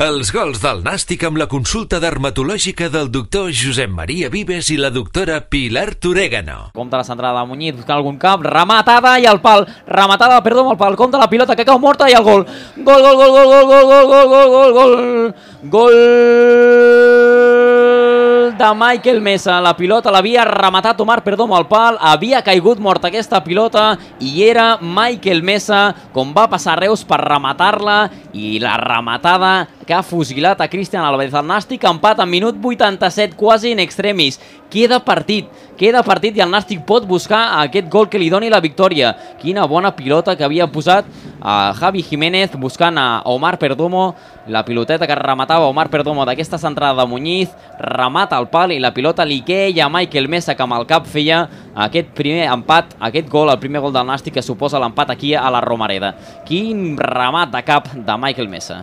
Els gols del Nàstic amb la consulta dermatològica del doctor Josep Maria Vives i la doctora Pilar Torégano. Compte la centrada de Muñiz, buscant algun cap, rematada i al pal, rematada, perdó, amb el pal, compte la pilota que cau morta i el gol. Gol, gol, gol, gol, gol, gol, gol, gol, gol, gol, gol, gol de Michael Mesa. La pilota l'havia rematat Omar Perdomo al pal, havia caigut morta aquesta pilota i era Michael Mesa com va passar Reus per rematar-la i la rematada que ha fusilat a Cristian Álvarez. El Nàstic empat en minut 87, quasi in extremis. Queda partit i el Nàstic pot buscar aquest gol que li doni la victòria. Quina bona pilota que havia posat a Javi Jiménez buscant a Omar Perdomo. La piloteta que rematava Omar Perdomo d'aquesta centrada de Muñiz, remata al pal i la pilota li queia a Michael Mesa, que amb el cap feia aquest primer empat, aquest gol, el primer gol del Nàstic que suposa l'empat aquí a la Romareda. Quin remat de cap de Michael Mesa.